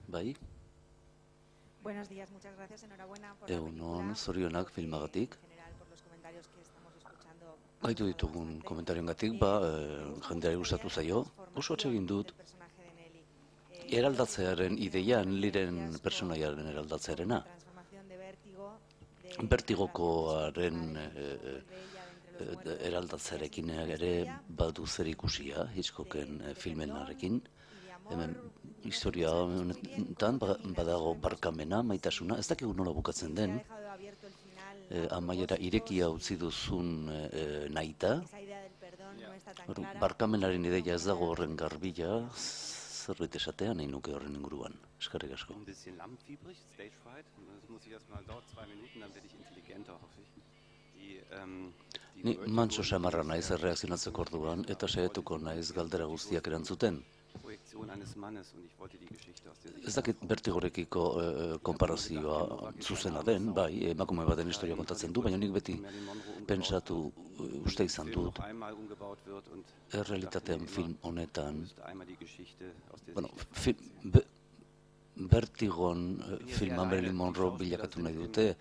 Bai? Buenos días, muchas gracias, enhorabuena por Egunon, zorionak filmagatik. Gaitu ditugun komentarioengatik, jendeari gustatu zaio. Oso egin dut, eraldatzearen ideian, liren personaiaren eraldatzearena. Bertigokoaren eraldatzearekin ere badu zer ikusia, Hitchcocken filmenarekin. Hemen historia honetan badago barkamena, maitasuna, ez dakigu nola bukatzen den, amaiera irekia utzi duzun nahita, barkamenaren ideia ez dago horren garbila, zerbait esatea nahi nuke horren inguruan. Eskerrik asko. Ni mantso samarra naiz erreakzionatzeko orduan, eta saiatuko naiz galdera guztiak erantzuten. Ez dakit Bertigorekiko konparazioa zuzena den, bai, emakume baten historia kontatzen du, baina nik beti pentsatu uste izan dut, errealitatean film honetan, Bertigon filma Marilyn Monroe bilakatu nahi dute,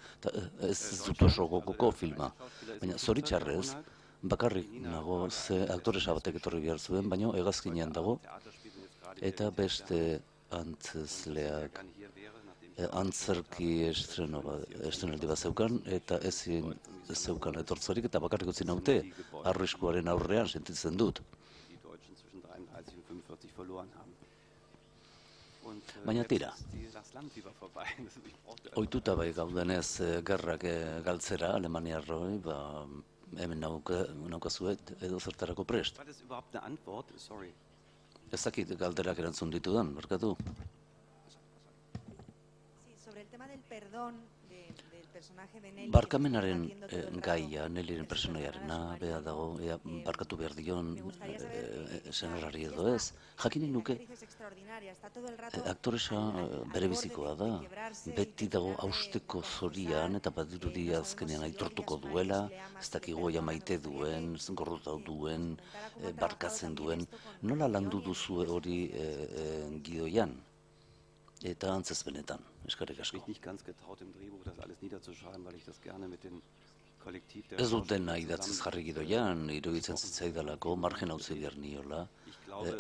ez dut oso gogoko filma, baina zoritxarrez, bakarrik nago ze aktoresa batek etorri behar zuen, baina hegazkinean dago, eta beste antzezleak antzerki estrenaldi bat zeukan, eta ezin zeukan etortzarik, eta bakarrik utzi naute, arriskuaren aurrean sentitzen dut. Baina tira, ohituta bai gaudenez gerrak galtzera Alemaniarroi, hemen naukazuet edo zertarako prest. Ez dakit galderak erantzun ditudan, barkatu. Barkamenaren gaia, Nellyren personaiarena, beha dago, barkatu behar dion senarrari edo ez. Jakinen nuke, aktoresa bere bizikoa da, beti dago hausteko zorian, eta badirudi azkenean aitortuko duela, ez dakigu maite duen, gorrotau duen, barkatzen duen. Nola landu duzu hori gidoian? Eta antzez benetan, eskerrik asko. Ez dut dena idatziz jarri gidoian, iruditzen zitzaidalako, margen hauzi behar niola,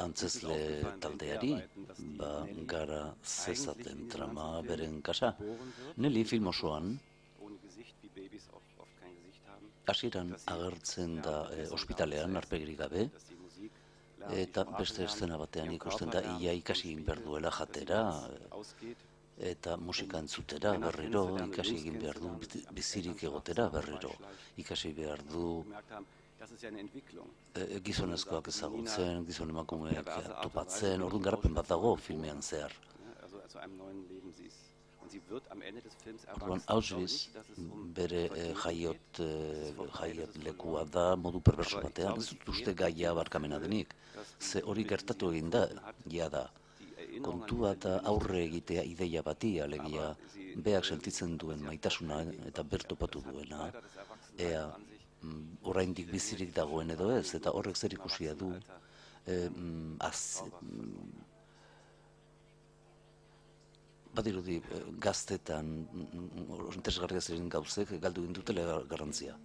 antzezle taldeari, gara zezaten trama beren kasa. Nelly film osoan, hasieran agertzen da ospitalean, arpegirik gabe, eta beste eszena batean ikusten da, ia ikasi egin behar duela jatera, eta musika entzutera berriro, ikasi egin behar du bizirik egotera berriro, ikasi behar du gizonezkoak ezagutzen, gizon emakumeak topatzen, orduan garapen bat dago filmean zehar. Orduan, Auschwitz bere jaiot lekua da modu perverso batean, ez dut uste gaia barkamena denik, ze hori gertatu egin da, da. Kontua da aurre egitea ideia bati, alegia, beak sentitzen duen maitasuna eta bertopatu duena, ea oraindik bizirik dagoen edo ez, eta horrek zer ikusia du, badirudi gaztetan interesgarria ziren gauzek galdu dutela garrantzia.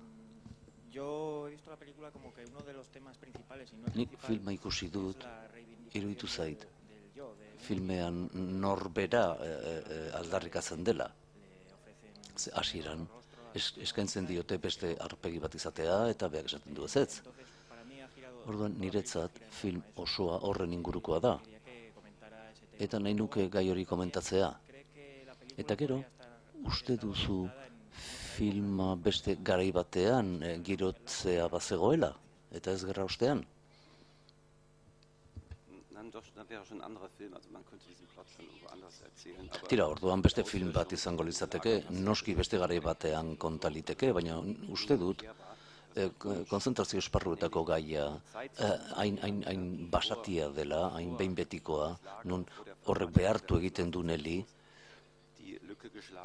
Nik filma ikusi dut, iruditu zait, filmean norbera aldarrikatzen dela. Hasieran eskaintzen diote beste aurpegi bat izatea eta beak esaten du ezetz. Orduan niretzat film osoa horren ingurukoa da. Eta nahi nuke gai hori komentatzea. Eta gero, uste duzu filma beste garai batean girotzea bazegoela, eta ez gerra ostean? Tira, orduan beste film bat izango litzateke, noski beste garai batean kontaliteke, baina uste dut, konzentrazio esparruetako gaia hain basatia dela, hain behin betikoa, non horrek behartu egiten du Nelly,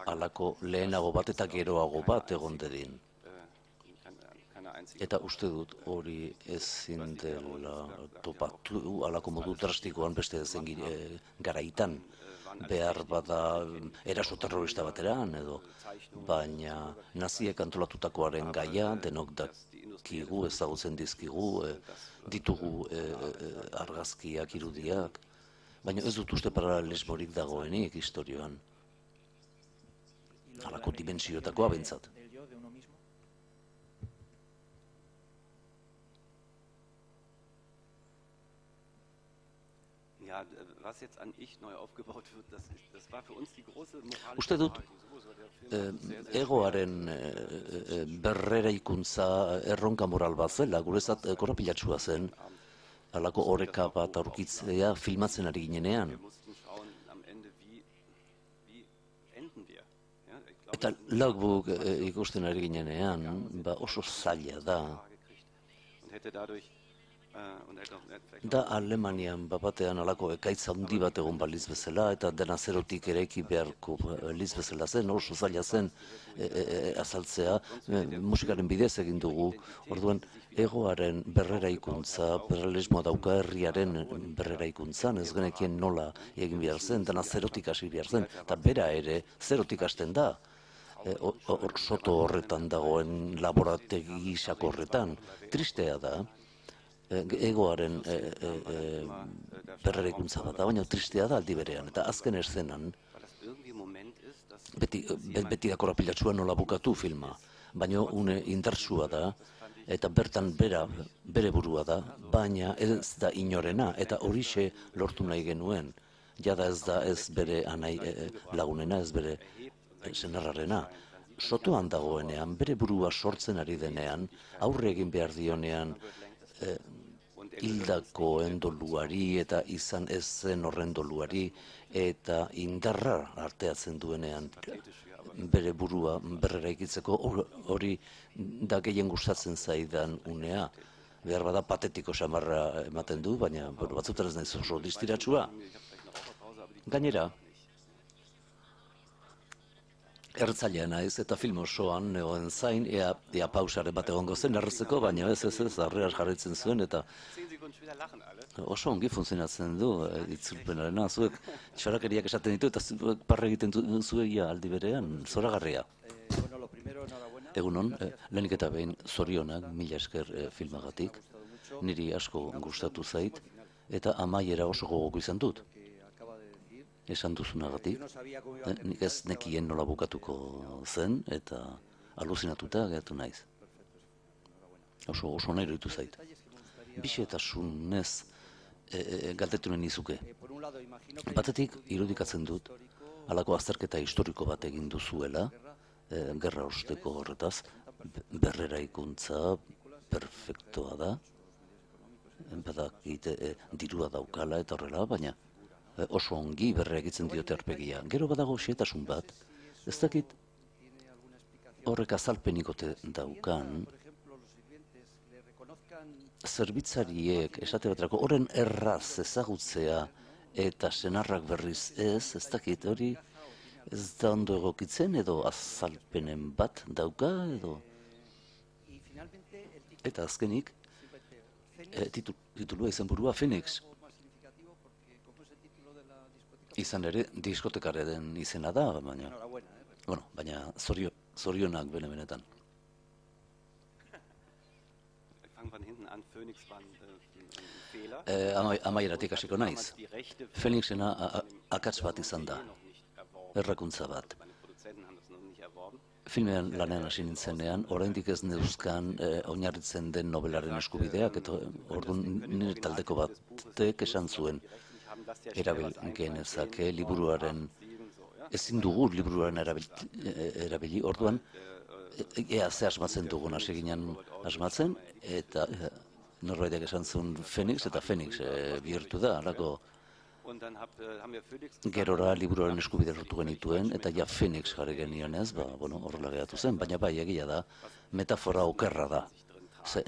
halako lehenago bat eta geroago bat egon dedin. Eta uste dut hori ezin dela topatu halako modu drastikoan beste ezen garaitan. Behar bada eraso terrorista bateran edo, baina naziek antolatutakoaren gaia denok dakigu, ezagutzen dizkigu, ditugu argazkiak, irudiak, baina ez dut uste paralelismorik dagoenik historioan. Halako dimensioetakoa behintzat. Uste dut, egoaren berreraikuntza erronka moral bat zela, guretzat korapilatsua zen, halako oreka bat aurkitzea filmatzen ari ginenean. Eta logbook ikusten ari ginenean, oso zaila da. Da Alemanian batean halako ekaitz handi bat egon baliz bezala, eta dena zerotik eraiki beharko baliz bezala zen, oso zaila zen azaltzea, musikaren bidez egin dugu, orduan egoaren berreraikuntza, paralelismoa dauka herriaren berreraikuntzan, ez genekien nola egin behar zen, dena zerotik hasi behar zen, eta bera ere zerotik hasten da. Soto horretan dagoen laborategi gisako horretan, tristea da, egoaren berreraikuntza bat da, baina tristea da aldi berean, eta azken eszenan, beti da korapilatsua nola bukatu filma, baina une indartsua da, eta bertan bere burua da, baina ez da inorena, eta horixe lortu nahi genuen, jada ez da ez bere anai lagunena, ez bere senarrarena. Sotoan dagoenean, bere burua sortzen ari denean, aurre egin behar dionean, hildakoen doluari eta izan ez zen horren doluari eta indarra arteatzen duenean bere burua berreraikitzeko hori da gehien gustatzen zaidan unea. Behar bada patetiko samarra ematen du, baina batzutan ez naiz oso distiratsua. Gainera, ertzailean naiz eta film osoan egon zain, ea pausaren bat egongo zen erretzeko, baina ez, harreaz jarraitzen zuen eta oso ongi funtzionatzen du itzulpenarena, zuek txorakeriak esaten ditu eta zuek parre egiten zuegia aldi berean, zoragarria. Egunon, lehenik eta behin zorionak, mila esker filmagatik, niri asko gustatu zait eta amaiera oso gogoko izan dut. Esan duzunagatik, nik ez nekien nola bukatuko zen eta aluzinatuta geratu naiz. Oso nahi iruditu zait. Bixetasunez galdetu nahi nizuke. Batetik irudikatzen dut, halako azterketa historiko bat egin duzuela, gerra osteko horretaz, berreraikuntza perfektoa da, badakit dirua daukala eta horrela, baina oso ongi berreagitzen diote aurpegia. Gero badago xehetasun bat, ez dakit horrek azalpenikote daukan, zerbitzariek esate baterako horren erraz ezagutzea eta senarrak berriz ez dakit hori ez da ondo egokitzen edo azalpenen bat dauka edo. Eta azkenik, titulua izenburua Phoenix. Izan ere, diskotekaren izena da, baina zorionak benetan. Amaieratik hasiko naiz. Phoenixena akats bat izan da, errakuntza bat. Filmean lanean hasi nintzenean, oraindik ez neuzkan oinarritzen den nobelaren eskubideak, eta orduan nire taldeko batek esan zuen. Erabil genezake liburuaren, ezin dugu liburuaren erabili, orduan ea ze asmatzen dugun hasi ginen asmatzen, eta norbaitek esan zuen Phoenix, eta Phoenix bihurtu da, halako gerora liburuaren eskubide lortu genituen, eta ja Phoenix jarri genionez, horrela geratu zen, baina bai egia da, metafora okerra da.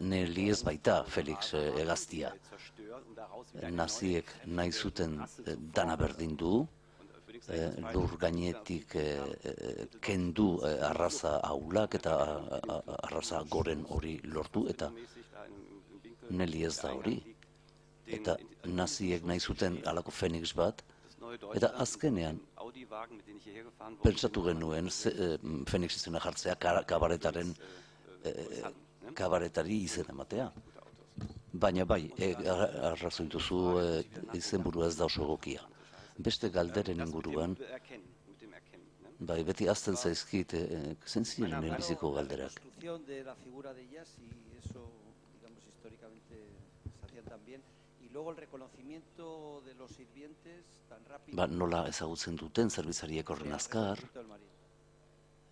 Neli ez baita Felix hegaztia. Naziek nahi zuten dana berdin du, lur gainetik kendu arraza ahulak eta arraza goren hori lortu, eta Nelly ez da hori. Eta naziek nahi zuten halako Phoenix bat, eta azkenean pentsatu genuen Phoenix izena jartzea kabaretari izen ematea. Baina bai, arrazoi duzu izenburua ez da oso egokia. Beste galderen inguruan, bai, beti azten zaizkit, zen ziren biziko galderak. Ba, nola ezagutzen duten zerbitzariek horren azkar,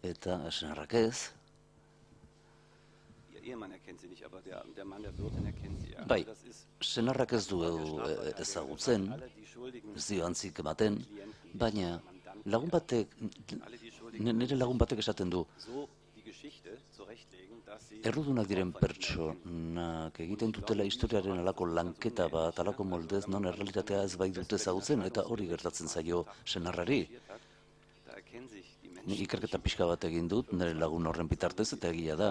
eta senarrak ez. Bai, senarrak ez du ezagutzen, ez dio antzik ematen, baina nire lagun batek esaten du, errudunak diren pertsonak egiten dutela historiaren alako lanketa bat, alako moldez, non errealitatea ez bai dute ezagutzen, eta hori gertatzen zaio senarrari. Ni ikerketa pixka bat egin dut, nire lagun horren bitartez, eta egia da,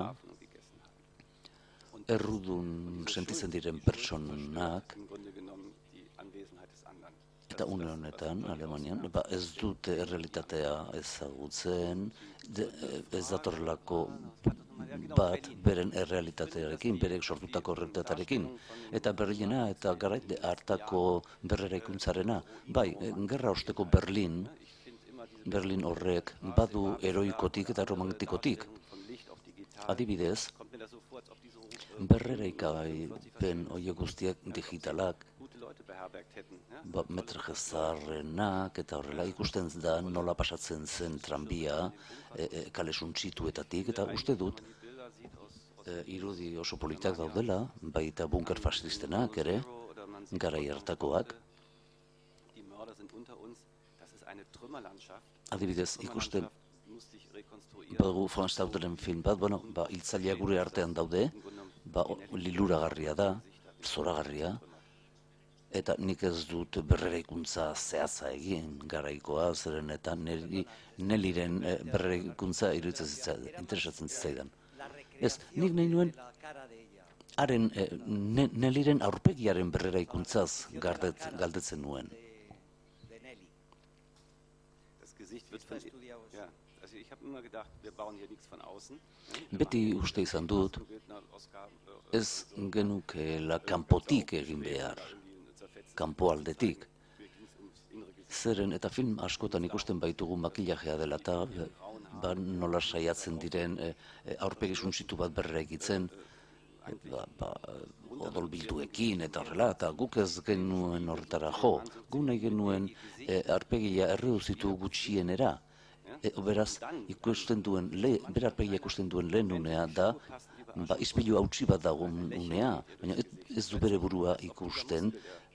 errudun sentitzen diren pertsonak, eta une honetan, Alemanian, ez dute errealitatea ezagutzen, ez datorrelako bat beren errealitatearekin, berek sortutako errealitatearekin, eta Berlina eta garai hartako berreraikuntzarena. Bai, gerra osteko Berlin horrek badu heroikotik eta romantikotik. Adibidez, berreraikapen horiek guztiak digitalak, metraje zaharrenak eta horrela ikusten da nola pasatzen zen tranbia kale suntsituetatik, eta uste dut irudi oso politak daudela, baita bunker fascistenak ere, garai hartakoak. Adibidez, ikusten badugu Franz Stauderen film bat, hiltzaileak gure artean daude, liluragarria da, zoragarria, eta nik ez dut berreraikuntza zehatza egin garaikoa, zeren eta Nellyren berreraikuntza interesatzen zitzaidan. Ez, nik nahi nuen Nellyren aurpegiaren berreraikuntzaz galdetzen nuen. Beti uste izan dut, ez genukeela kanpotik egin behar, kanpoaldetik. Zeren eta film askotan ikusten baitugu makillajea dela eta nola saiatzen diren aurpegi suntsitu bat berreraikitzen, odolbilduekin eta horrela, eta guk ez genuen horretara jo, gu nahi genuen aurpegia erreduzitu gutxienera. Beraz, bere aurpegia ikusten duen lehen unea da, ispilu hautsi bat dagoen unea, baina ez du bere burua ikusten,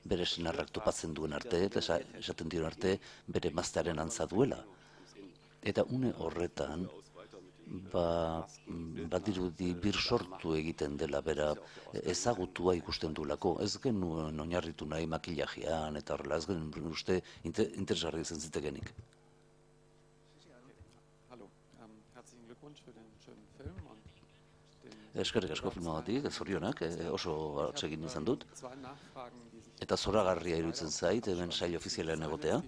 bere senarrak topatzen duen arte, eta esaten dion arte, bere maztearen antza duela. Eta une horretan, badirudi birsortu egiten dela bera ezagutua ikusten duelako. Ez genuen oinarritu nahi makillajean eta horrela, ez genuen uste interesgarri izan zitekenik. Eskerrik asko filmagatik, zorionak, oso atsegin izan dut. Eta zoragarria iruditzen zait, hemen sail ofizialean egotea.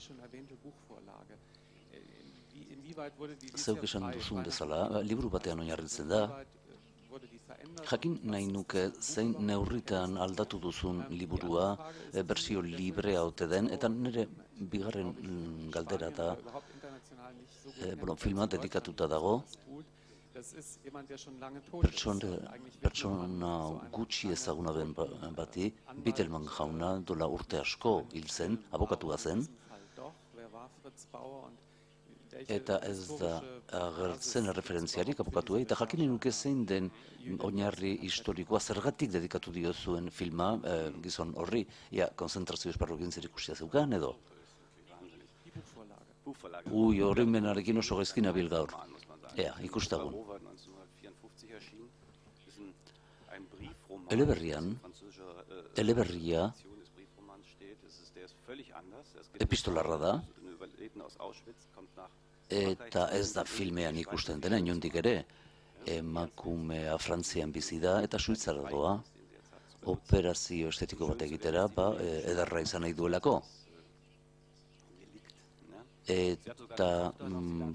Zeuk esan duzun bezala, liburu batean oinarritzen da. Jakin nahi nuke zein neurritan aldatu duzun liburua, bersio librea ote den, eta nire bigarren galdera da, filma dedikatuta dago, pertsona gutxi ezaguna den bati, Bittelmann jauna dola urte asko hil zen, abokatua zen, eta ez da agertzen referentziarik abokatuei, eta jakin nuke zein den oinarri historikoa zergatik dedikatu diozuen filma gizon horri, konzentrazio esparruekin zerikusia zeukan edo? Horrenbenarekin oso gaizkin abil gaur. Ikustagun. Eleberria epistolarra da, eta ez da filmean ikusten dena, inondik ere, emakumea Frantzian bizi da eta Suitzara doa, operazio estetiko bat egitera, ederra izan nahi duelako. Eta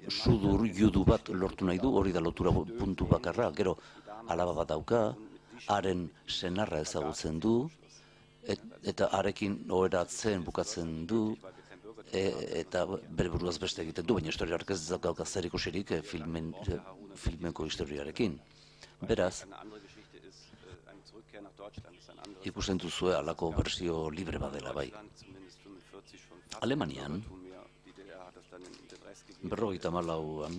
sudur judu bat lortu nahi du, hori da lotura puntu bakarra, gero alaba bat dauka, haren senarra ezagutzen du, eta harekin oheratzen bukatzen du, eta bere buruaz beste egiten du, baina historiarek ez dauka zer ikusirik filmeko historiarekin. Beraz, ikusten duzue halako bersio libre badela bai. Alemanian, 1954an,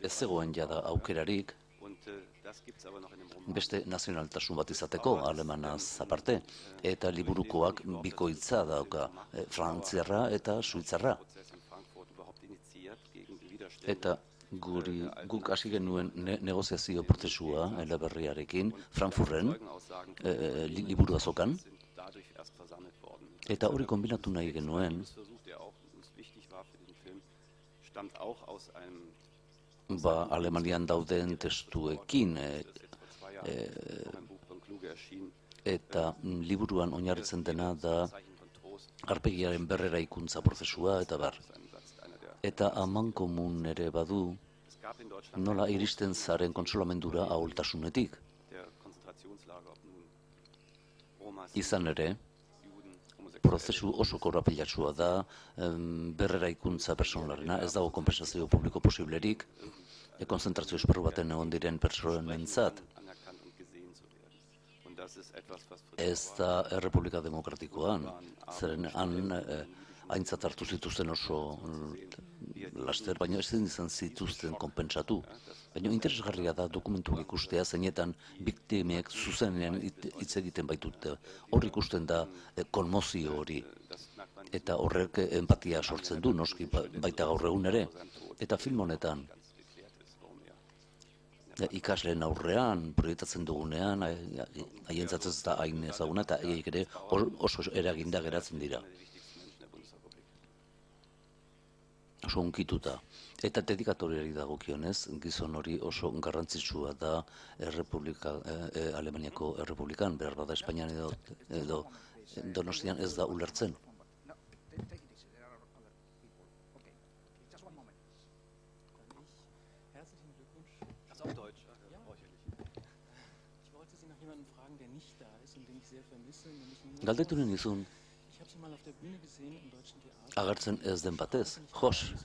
ez zegoen jada aukerarik beste nazionaltasun bat izateko, alemanaz aparte, eta liburukoak bikoitza dauka, frantziarra eta suitzarra. Eta guk hasi genuen negoziazio prozesua eleberriarekin, Frankfurten, liburu azokan, eta hori kombinatu nahi genuen, Alemanian dauden testuekin, eta liburuan oinarritzen dena da aurpegiaren berreraikuntza prozesua eta bar. Eta amankomun ere badu nola iristen zaren kontsolamendura ahultasunetik. Izan ere, prozesu oso korapilatsua da, berreraikuntza personalarena, ez dago konpensazio publiko posiblerik, konzentrazio esparru baten egon diren pertsonentzat. Ez da Errepublika Demokratikoan, zeren han aintzat hartu zituzten oso laster, baina ez izan zituzten konpentsatu. Baina interesgarria da dokumentuak ikustea, zeinetan biktimek zuzenean hitz egiten baitute. Hor ikusten da konmozio hori, eta horrek empatia sortzen du, noski baita gaur egun ere. Eta film honetan, ikasleen aurrean, proiektatzen dugunean, haientzat ez da hain ezaguna, eta haiek ere oso eraginda geratzen dira. Oso unkituta. Eta dedikatoriari dagokionez, gizon hori oso garrantzitsua da Alemaniako Errepublikan, behar bada Espainian edo Donostian ez da ulertzen. Galdetu nizun, agertzen ez den batez,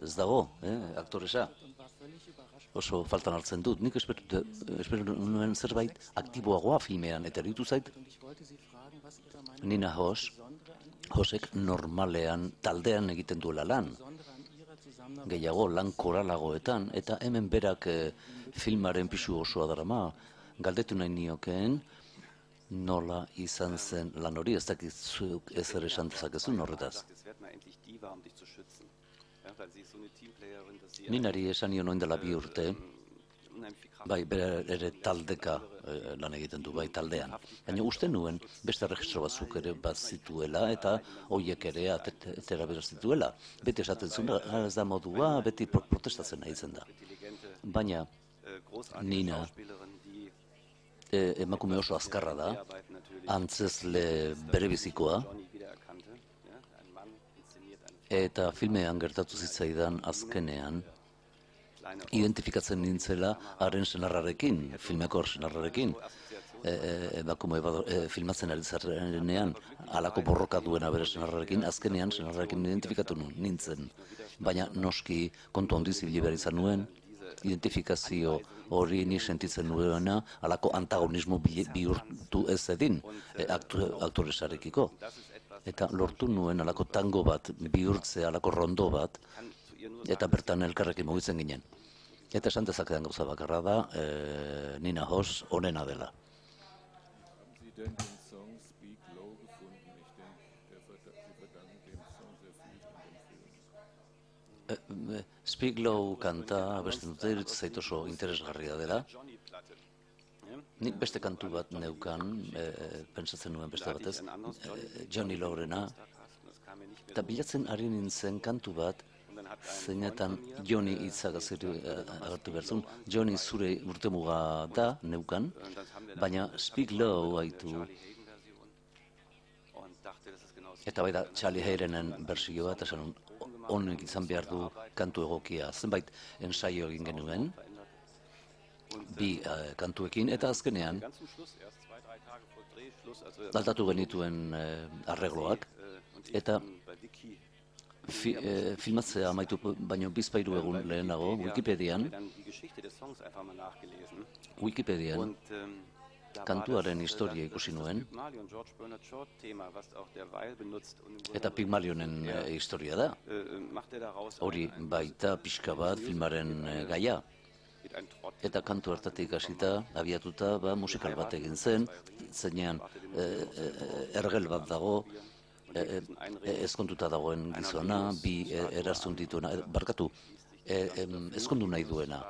ez dago, aktoresa. Oso faltan hartzen dut, nik espero nuen zerbait aktiboagoa filmean, eta eritu zait, Nina Hosek normalean taldean egiten duela lan, gehiago lan koralagoetan, eta hemen berak filmaren pisu osoa darama, galdetu nahi niokeen, nola izan zen lan hori, ez dakizuk ezer esan dezakezun horretaz. Ninari esan nion oin dela 2 urte, bai, bere ere taldeka lan egiten du, bai, taldean. Baina uste nuen beste registro batzuk ere bat zituela, eta horiek ere atera beraz zituela. Beti esaten zuen, ez da modua, beti protestatzen nahi zen da. Baina Nina emakume oso azkarra da, antzezle berebizikoa, eta filmean gertatu zitzaidan azkenean, identifikatzen nintzela haren senarrarekin, filmeko senarrarekin, emakume filmatzen ari zarenean, halako borroka duena bere senarrarekin, azkenean senarrarekin identifikatu nintzen, baina noski kontu handi zibili behar izan nuen, identifikazio hori ni sentitzen nuena, halako antagonismo bihurtu ez edin aktoresarekiko. Eta lortu nuen halako tango bat, bihurtzea, halako rondo bat, eta bertan elkarrekin mugitzen ginen. Eta esan dezakedan gauza bakarra da, Nina Hoss onena dela. Speak Low kanta abesten dute, iruditzen zait oso interesgarria dela. nik beste kantu bat neukan, pentsatzen nuen beste batez, Johnny Lawrena, eta bilatzen ari nintzen kantu bat, zeinetan Johnny hitzak agertu berzun. Johnny zure urtemuga da, neukan, baina Speak Low haitu. Eta bai da, Charlie Hayrenen bersio bat, esan honek izan behar du kantu egokia. Zenbait ensaio egin genuen, bi kantuekin, eta azkenean aldatu genituen arregloak, eta filmatzea amaitu baino bizpairu egun lehenago, Wikipedian kantuaren historia ikusi nuen, eta Pygmalionen historia da. Hori baita pixka bat filmaren gaia. Eta kantu hartatik hasita, abiatuta, musikal bat egin zen, zeinean ergel bat dago, ezkonduta dagoen gizona, bi eraztun dituena, barkatu, ezkondu nahi duena,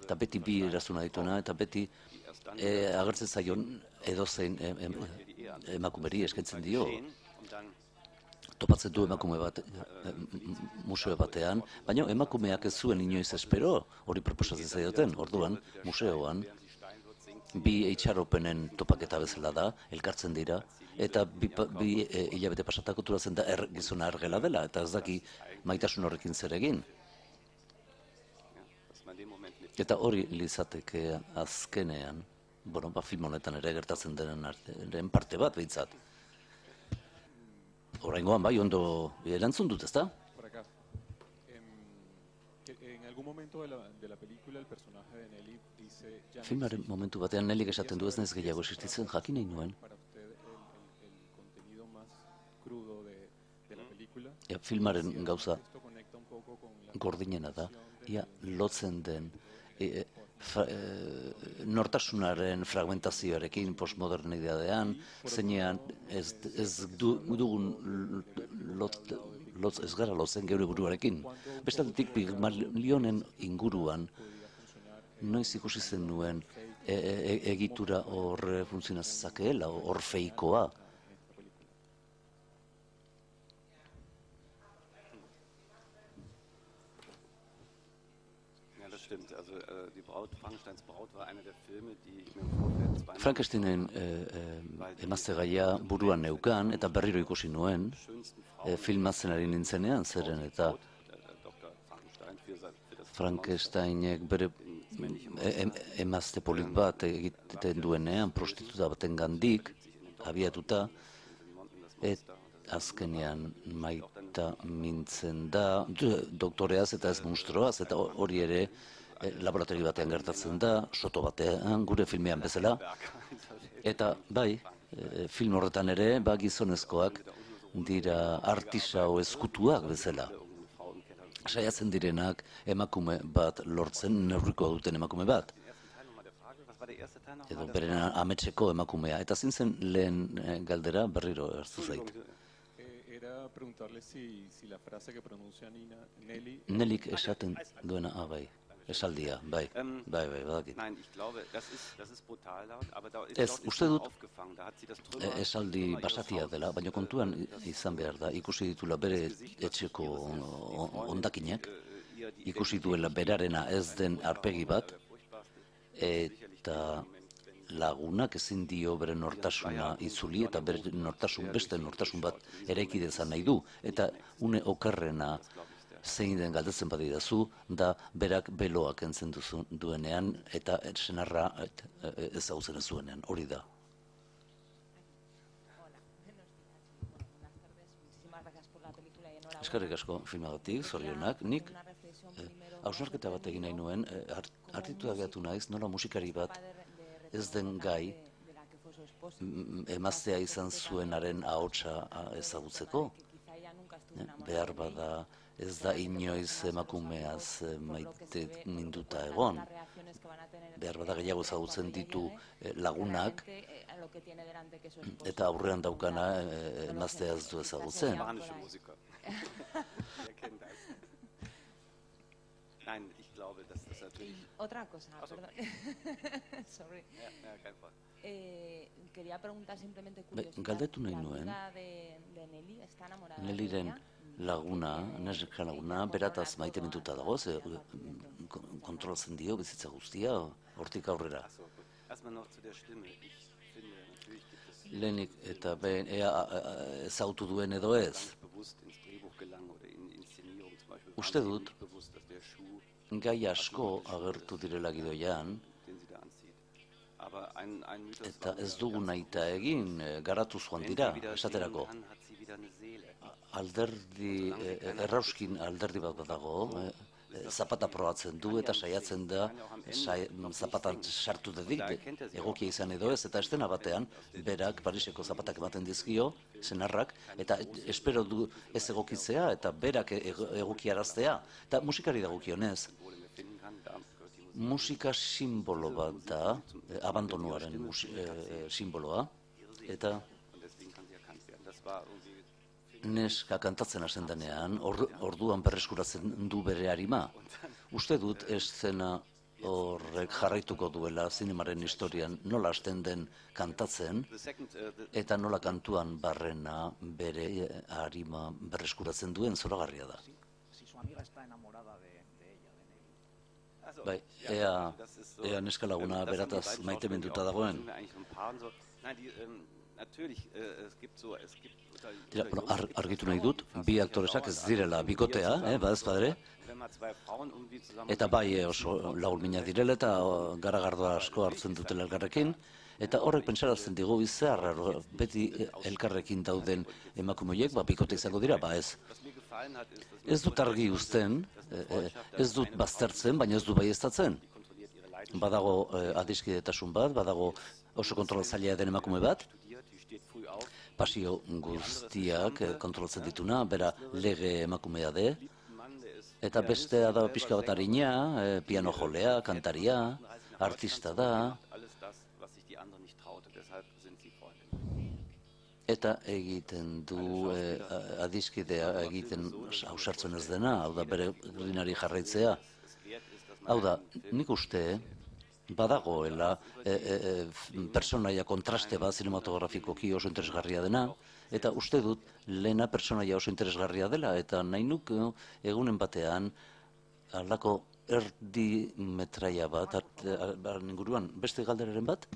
eta beti bi eraztun nahi dituena, eta beti agertzen zaion edozein emakumeri eskaintzen dio. Topatzen du emakume bat museo batean, baina emakumeak ez zuen inoiz espero, hori proposatzen zaioten, orduan, museoan, bi itxaropenen topaketa bezala da, elkartzen dira, eta bi hilabete pasatako turatzen da gizona ergela dela, eta ez daki maitasun horrekin zer egin. Eta hori lizateke azkenean, film honetan ere gertatzen denen parte bat behintzat. Oraingoan bai, ondo erantzun dut, ezta? Por acá. En algún momento de la película el personaje de Nelly dice... Filmaren momentu batean Nellyk esaten du ez naiz gehiago existitzen, jakin nahi nuen. Para usted el contenido más crudo de la película. Filmaren gauza gordinena da, ia lotzen den nortasunaren fragmentazioarekin postmodernidadean, zeinean ez dugun ez gara lotzen geure buruarekin. Bestatetik Pygmalionen inguruan, noiz ikusi zen nuen egitura hor funtzionazakeela, orfeikoa. Frankensteinen emazte gaia buruan neukan eta berriro ikusi nuen, filmatzen ari nintzenean, zeren eta Frankensteinek bere emazte polit bat egiten duenean, prostituta baten gandik, abiatuta, azkenean maita mintzen da, doktoreaz eta ez monstruoaz, eta hori ere laboratori batean gertatzen da, soto batean, gure filmean bezala. Eta bai, film horretan ere, gizonezkoak dira artisau ezkutuak bezala. Saiatzen direnak emakume bat lortzen, neurriko duten emakume bat. Edo beren ametseko emakumea. Eta zintzen lehen galdera berriro hartu zait. Nellyk esaten duena, bai. Esaldia, bai, badakit. Ez, uste dut esaldi basatia dela, baina kontuan izan behar da, ikusi ditula bere etxeko hondakinak, ikusi duela berarena ez den arpegi bat, eta lagunak ezin dio bere nortasuna itzuli, eta bere beste nortasun bat eraiki dezan nahi du, eta une okerrena zein den galdetzen badidazu, da berak beloak entzen duenean eta senarra ezagutzen ez zuenean, hori da. Eskerrik asko filmagatik, zorionak, nik hausnarketa bat egin nahi nuen, hartitu ageatu naiz, nola musikari bat ez den gai emaztea izan zuenaren ahotsa ezagutzeko, behar bada ez da inoiz emakumeaz maite minduta egon. Behar bada gehiago ezagutzen ditu lagunak, eta aurrean daukana emaztea ez du ezagutzen. Otra cosa, perdón. Sorry. Quería preguntar simplemente curiosidad. Galdetu nahi La nuen, amiga de Nelly está enamorada de Neliren ella. laguna, neska laguna, berataz maite mintuta dago, ze kontrolatzen dio bizitza guztia, hortik aurrera. Lehenik eta behin ezautu duen edo ez. Uste dut, gai asko agertu direla gidoian, eta ez dugu nahita egin, garatuz joan dira, esaterako. Alderdi, errauskin alderdi bat dago, zapata probatzen du eta saiatzen da zapatan sartu dedik, egokia izan edo ez, eta estena batean, berak Pariseko zapatak ematen dizkio, senarrak, eta espero du ez egokitzea, eta berak egokiaraztea, eta musikari dagokionez. Musika simbolo bat da, abandonuaren simboloa, eta neska kantatzen hasten denean, orduan berreskuratzen du bere arima. Uste dut eszena horrek jarraituko duela zinemaren historian nola hasten den kantatzen, eta nola kantuan barrena bere arima berreskuratzen duen zoragarria da. Bai, ea neska laguna berataz maite minduta dagoen. Argitu nahi dut, bi aktoresak ez direla bikotea, badez padre, eta bai oso lagun direla eta garagardoa asko hartzen dutela elkarrekin, eta horrek pentsarazten digu bizarra, beti elkarrekin dauden emakumeoiek, bikote izango dira, ez. Ez dut argi uzten, ez dut baztertzen, baina ez dut baieztatzen. Badago adiskidetasun bat, badago oso kontrolatzailea den emakume bat, pasio guztiak kontrolatzen dituna, bera lege emakumea de, eta bestea da pixka bat harina, piano jolea, kantaria, artista da, eta egiten du adiskidea egiten ausartzen ez dena, hau da bere linari jarraitzea. Hau da, nik uste badagoela personaia kontraste bat zinematografikoki oso interesgarria dena, eta uste dut lehena personaia oso interesgarria dela, eta nahi nuk egunen batean halako erdi metraia bat, inguruan beste galderaren bat?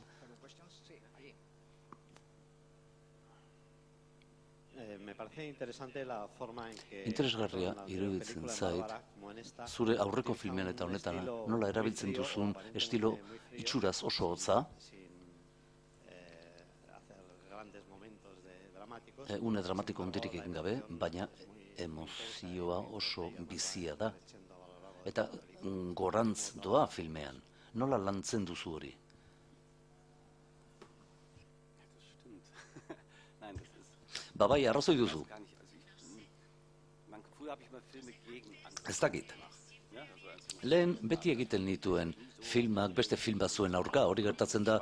Interesgarria iruditzen zait, zure aurreko filmean eta honetan nola erabiltzen duzun estilo itxuraz oso hotza, une dramatiko hondirik egin gabe, baina emozioa oso bizia da. Eta gorantz doa filmean, nola lantzen duzu hori? Bai, arrazoi duzu. Ez dakit. Lehen beti egiten nituen filmak, beste film batzuen aurka, hori gertatzen da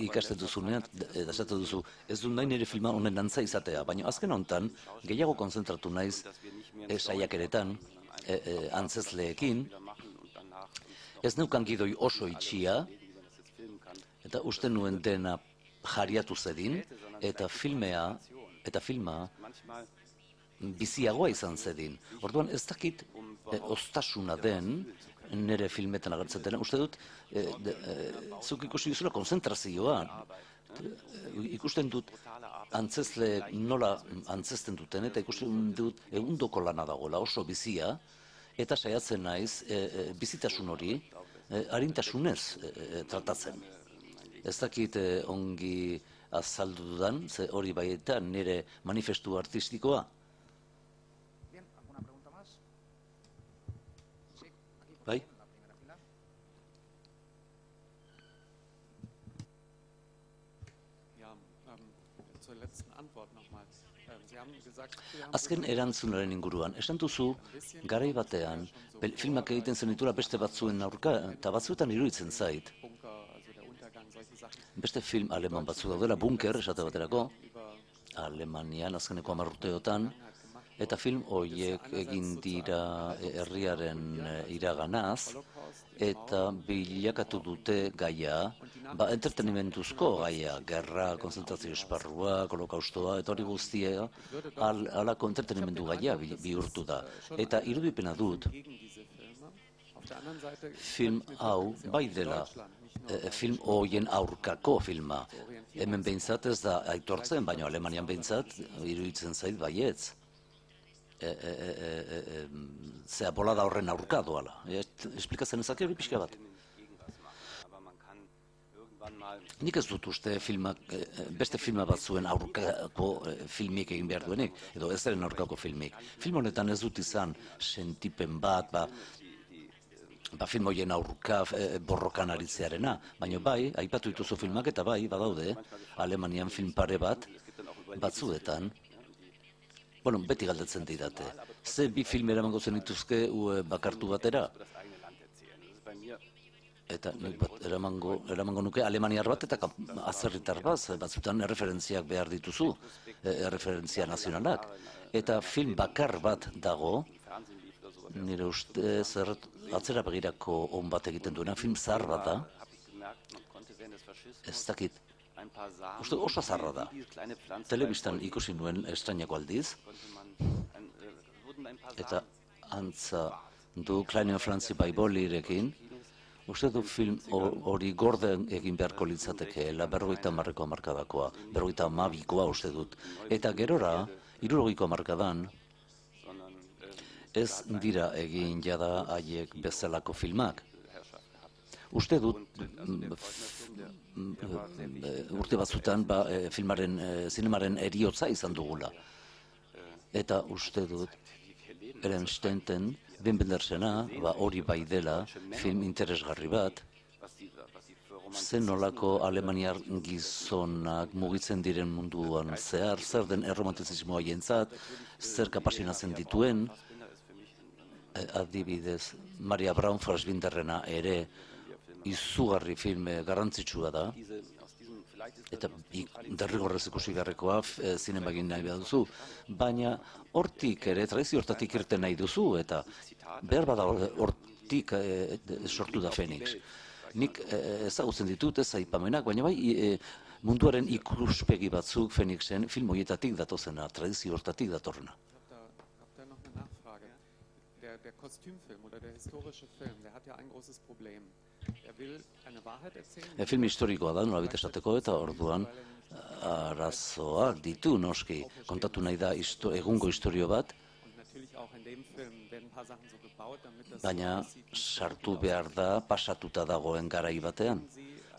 ikasten duzunean, esaten duzu, ez du nahi nire filma honen antza izatea, baina azken honetan, gehiago konzentratu naiz saiakeretan, antzezleekin, ez neukan gidoi oso itxia, eta uste nuen dena jariatu zedin, eta filma biziagoa izan zedin. Orduan ez dakit ostasuna den nire filmetan agertzen dena. Uste dut, zuk ikusi duzula konzentrazioa. Ikusten dut antzezle nola antzesten duten, eta ikusten dut egundoko lana dagoela oso bizia, eta saiatzen naiz bizitasun hori arintasunez tratatzen. Ez dakit ongi azaldu dudan, ze hori baietan nire manifestu artistikoa. Bai? Azken erantzunaren inguruan, esan duzu, garai batean, filmak egiten zenitula beste batzuen aurka, eta batzuetan iruditzen zait. Beste film aleman batzu daudela, Bunker, esate baterako, Alemanian azkeneko 10 urteotan, Eta film horiek egin dira herriaren iraganaz, eta bilakatu dute gaia, entretenimentuzko gaia, gerra, konzentrazio esparrua, holokaustoa, eta hori guztia, halako entretenimentu gaia bihurtu da. Eta irudipena dut, film hau bai dela, film horien aurkako filma. Hemen behintzat ez da aitortzen, baina Alemanian behintzat iruditzen zait baietz. Zea bolada horren aurka doala. Esplikatzen ezak hori pixka bat. Nik ez dut uste beste filma bat zuen aurkako filmik egin behar duenik, edo ez eren aurkako filmik. Film honetan ez dut izan sentipen bat, film horien aurka borrokan aritzearena, baina bai, aipatu dituzu filmak eta bai, badaude, Alemanian film pare bat, batzuetan, beti galdetzen didate. Ze bi film eramango zenituzke bakartu batera? Eta eramango nuke Alemaniar bat eta azerritar bat, batzutan erreferentziak behar dituzu, erreferentzia nazionalak. Eta film bakar bat dago, nire uste atzera begirako on bat egiten duena, film zahar bat da, ez dakit, uste oso zaharra da. Telebistan ikusi nuen estrainako aldiz, eta antza du Kleine Franzi Baibolirekin, uste du film hori gorden egin beharko litzatekeela, 50 hamarkadakoa, 52koa uste dut. Eta gerora, 60ko hamarkadan, ez dira egin jada haiek bezalako filmak. Uste dut, urte batzutan zinemaren eriotza izan dugula. Eta uste dut, Eren Stenten, Wim Wendersena, hori bai dela, film interesgarri bat, zen nolako alemaniar gizonak mugitzen diren munduan zehar, zer den erromantizismoa jentzat, zer kapasinatzen dituen, adibidez, Maria Braun Fassbinderrena ere izugarri filme garrantzitsua da, eta derrigorrez ikusi beharrekoa zinemagin nahi behar duzu, baina hortik ere, tradizio hortatik irten nahi duzu, eta behar bada hortik sortu da Fenix. Nik ezagutzen ditut ez aipamenak, baina bai munduaren ikuspegi batzuk Fenixen film horietatik datozena, tradizio hortatik datorrena. Der Kostümfilm oder der historische Film, der hat ja ein großes Problem. Will eine Wahrheit erzählen. Film historikoa da, nolabait esateko, eta orduan arazoak ditu noski. Kontatu nahi da egungo historio bat, baina sartu behar da pasatuta dagoen garai batean.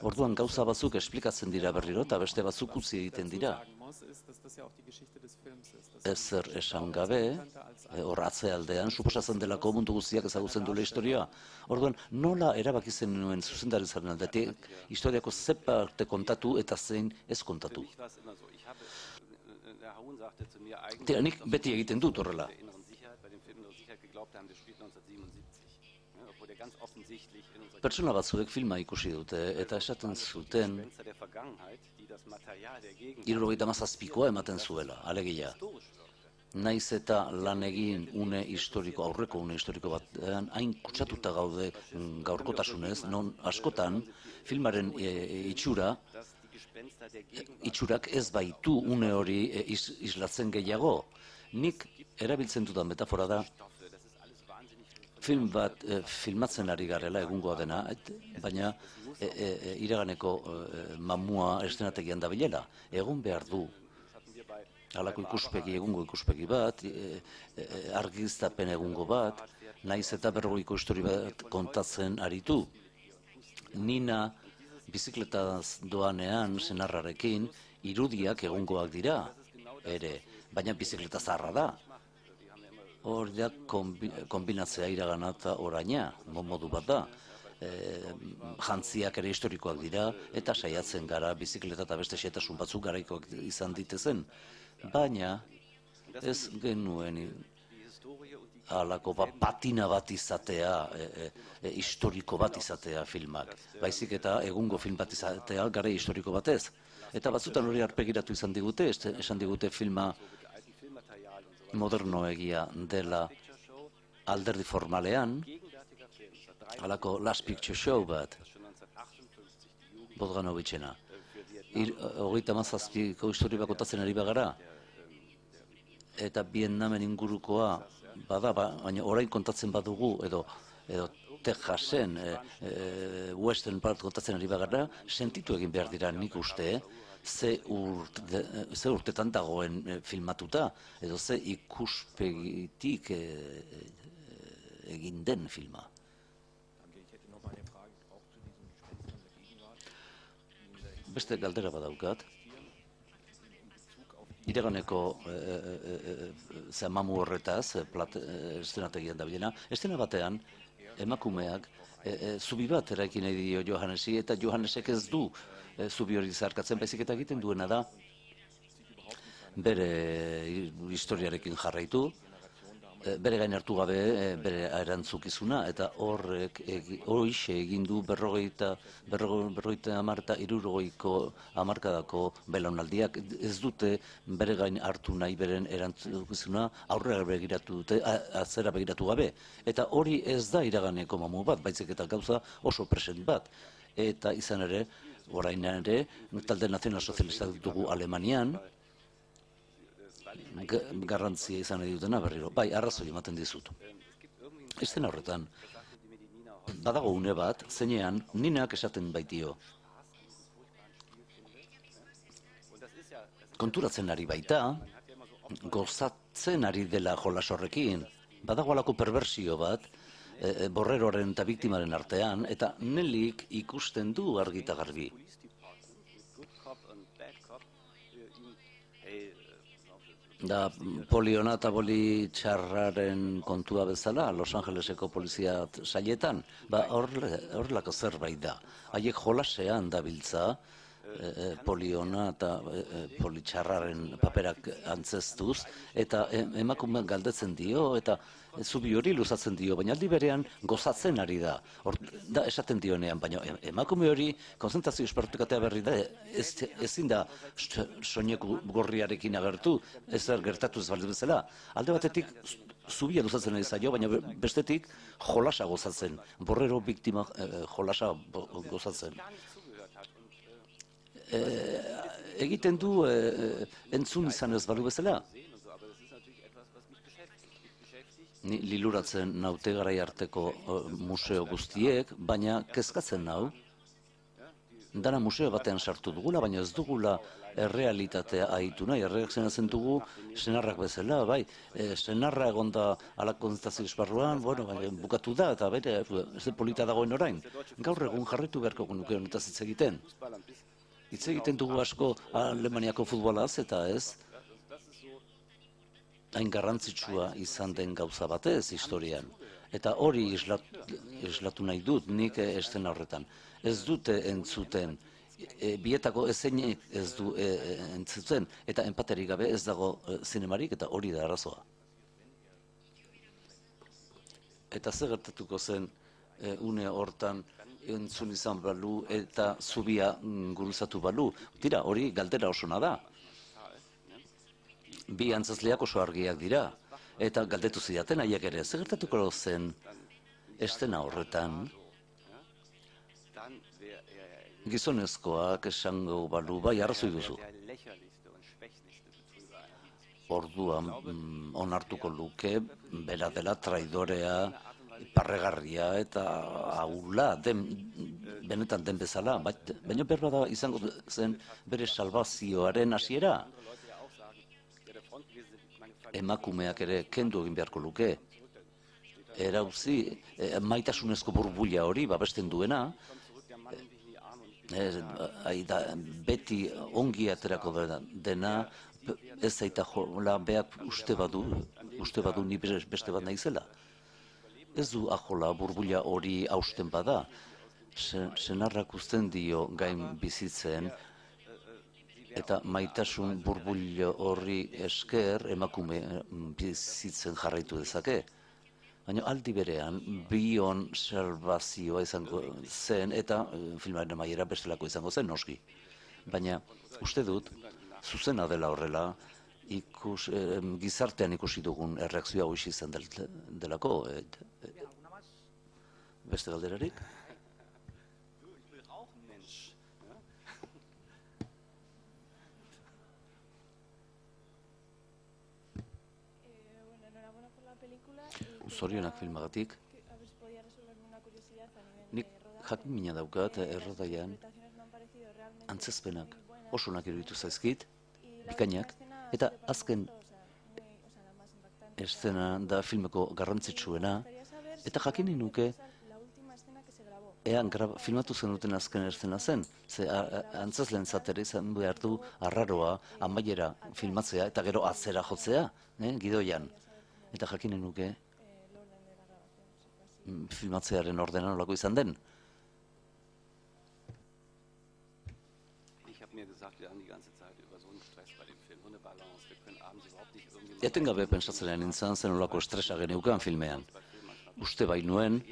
Orduan gauza batzuk esplikatzen dira berriro eta beste batzuk utzi egiten dira. Ezer esan gabe, hor atzealdean, suposatzen delako mundu guztiak ezagutzen duela historioa. Orduan, nola erabaki zen nuen zuzendaritzaren aldetik, historiako ze parte kontatu eta zein ez kontatu. Tira, nik beti egiten dut horrela. Pertsona batzuek filma ikusi dute eta esaten zuten 77koa ematen zuela, alegia. Naiz eta lan egin aurreko une historiko batean, hain kutsatuta gaude gaurkotasunez, non askotan filmaren itxurak ez baitu une hori islatzen gehiago. Nik erabiltzen dudan metafora da, film bat filmatzen ari garela egungoa dena, baina iraganeko mamua eszenategian dabilela. Egon behar du halako egungo ikuspegi bat, argiztapen egungo bat, naiz eta berrogeiko histori bat kontatzen aritu. Nina bizikletaz doanean senarrarekin irudiak egungoak dira ere, baina bizikleta zaharra da. Hor da kombinatzea iragana eta oraina, modu bat da. Jantziak ere historikoak dira, eta saiatzen gara bizikleta eta beste xehetasun batzuk garaikoak izan ditezen. Baina ez genuen halako patina bat izatea, historiko bat izatea filmak. Baizik eta egungo film bat izatea garai historiko batez. Eta batzutan hori arpegiratu izan digute, esan digute filma modernoegia dela alderdi formalean, halako Last Picture Show bat, Bogdanovicena. 37ko historia kontatzen ari bagara, eta Vietnamen ingurukoa bada, baina orain kontatzen badugu, edo Texasen, Western part kontatzen ari bagara, sentitu egin behar dira nik uste, ze urtetan dagoen filmatuta, edo ze ikuspegitik egin den filma. Beste galdera badaukat. Iraganeko mamu horretaz, estenategian da bilena, estena batean, emakumeak zubi bat eraiki nahi dio Johannesi, eta Johannesek ez du zubi hori zarkatzen, baizik eta egiten duena da bere historiarekin jarraitu, bere gain hartu gabe bere erantzukizuna, eta horrek horixe egin du 50, 60 eta 60ko hamarkadako belaunaldiak ez dute bere gain hartu nahi beren erantzukizuna, aurrera begiratu dute, atzera begiratu gabe. Eta hori ez da iraganeko mamu bat, baizik eta gauza oso present bat. Eta izan ere, orain ere, talde nazional sozialistak ditugu Alemanian, garrantzia izan nahi dutena berriro. Bai, arrazoi ematen dizut. Estena horretan, badago une bat, zeinean Ninak esaten baitio. Konturatzen ari baita, gozatzen ari dela jolas horrekin, badago alako perversio bat, borreroaren eta biktimaren artean, eta Nelik ikusten du argi eta garbi. Da poliona eta poli txarraren kontua bezala, Los Angeleseko polizia sailetan, horrelako zerbait da. Haiek jolasean dabiltza, poliona eta poli txarraren paperak antzestuz, eta emakumeak galdetzen dio, eta zubi hori luzatzen dio, baina aldi berean gozatzen ari da. Da esaten dionean, baina emakume hori konzentrazio espartukatea berri da, ezin da soineku gorriarekin agertu, ez gertatu ez baldin bezala. Alde batetik zubia luzatzen ari zaio, baina bestetik jolasa gozatzen, borrero biktima jolasa gozatzen. Egiten du entzun izan ez balu bezala. Ni liluratzen naute garai arteko museo guztiek, baina kezkatzen nau, dana museo batean sartu dugula, baina ez dugula errealitatea ahitu nahi, erreakzionatzen dugu senarrak bezala, bai, senarra egonda alak konzentrazio esparruan, bueno, bukatu da, eta bere, ez polita dagoen orain. Gaur egun jarraitu beharko nuke honetaz hitz egiten. Hitz egiten dugu asko Alemaniako futbolaz, eta ez, hain garrantzitsua izan den gauza batez historian. Eta hori islatu nahi dut nik estena horretan. Ez dute entzuten, bietako ezeinek ez du entzuten, eta enpaterik gabe ez dago zinemarik, eta hori da arazoa. Eta zer gertatuko zen une hortan entzun izan balu eta zubia guruzatu balu. Tira, hori galdera osona da. Bi antzazleak oso argiak dira, eta galdetu zidaten haiek ere, zer gertatuko zen estena horretan, gizonezkoak esango balu, bai, arrazoi duzu. Orduan onartuko luke, bera dela traidorea, parregarria eta ahula, benetan den bezala, baina berbada izango zen bere salvazioaren hasiera. Emakumeak ere kendu egin beharko luke. Erauzi, maitasunezko burbuila hori babesten duena, beti ongi aterako dena, ez zaita jola, beak uste badu ni beste bat naizela. Ez du ajola burbuila hori hausten bada, senarrak uzten dio gain bizitzen, eta maitasun burbulio horri esker emakume bizitzen jarraitu dezake. Baina aldi berean, bion salvazioa izango zen, eta filmaren amaiera bestelako izango zen, noski. Baina uste dut, zuzena dela horrela, gizartean ikusi dugun erreakzioa hoiz izan delako. Beste galderarik? Zorionak filmagatik. Nik jakin daukat errodaian antzezpenak oso onak iruditu zaizkit, bikainak, eta azken eszena da filmeko garrantzitsuena, eta jakin nuke ean filmatu zenuten azken eszena zen, ze antzezlen zatera izan behar du arraroa, amaiera filmatzea, eta gero atzera jotzea, gidoian. Eta jakin nuke filmatzearen ordena nolako izan den. Etengabe pentsatzen nintzen zen nolako estresa geneukan filmean. Uste bai nuen,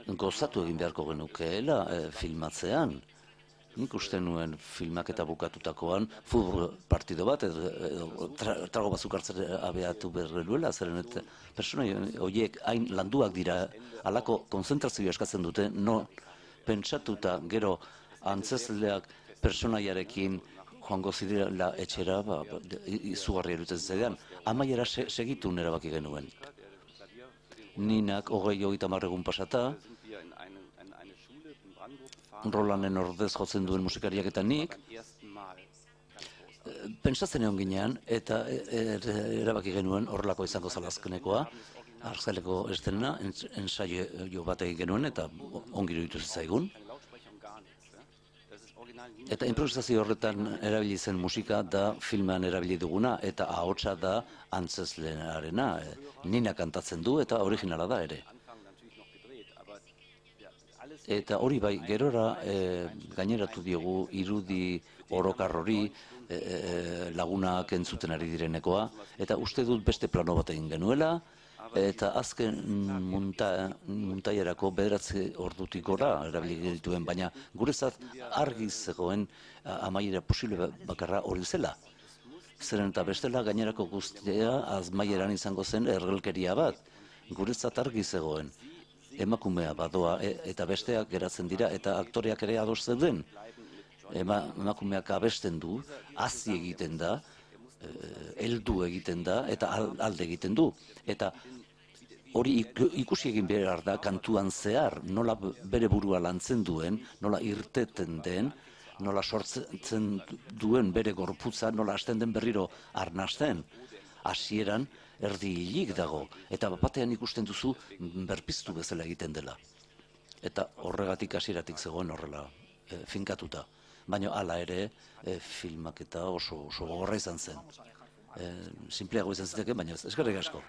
gozatu egin beharko genukeela filmatzean. Nik uste nuen filmak eta bukatutakoan futbol partido bat, edo trago batzuk hartzera abeatu behar genuela, zeren eta persona horiek hain landuak dira, halako konzentrazioa eskatzen dute, no pentsatuta gero antzezleak personaiarekin joango zirela etxera, izugarri erutzen zedean, amaiera segitu erabaki genuen. Ninak 20-30 egun pasata, Rolanen ordez jotzen duen musikariak eta nik, pentsatzen egon ginean, eta erabaki genuen horrelako izango zela azkenekoa, Arzeleko estena, ensaio bat egin genuen, eta ongi iruditu zitzaigun. Eta improvisazio horretan erabili zen musika da filmean erabili duguna, eta ahotsa da antzezlearena. Nina kantatzen du, eta originala da ere. Eta hori bai, gerora gaineratu diogu irudi orokar hori lagunak entzuten ari direnekoa, eta uste dut beste plano bat egin genuela, eta azken muntaiarako 9 ordutik gora erabili genituen, baina gurezat argi zegoen amaiera posible bakarra hori zela. Zeren eta bestela gainerako guztia azmaieran izango zen ergelkeria bat, gurezat argi zegoen. Emakumea badoa eta besteak geratzen dira eta aktoreak ere ados zeuden. Emakumeak abesten du, hazi egiten da, heldu egiten da eta alde egiten du. Eta hori ikusi egin behar da kantuan zehar, nola bere burua lantzen duen, nola irteten den, nola sortzen duen bere gorputza, nola hasten den berriro arnasten. Hasieran erdi hilik dago, eta batean ikusten duzu berpiztu bezala egiten dela. Eta horregatik hasieratik zegoen horrela finkatuta. Baina hala ere, filmak eta oso gogorra izan zen. Sinpleago izan ziteke, baina eskerrik asko.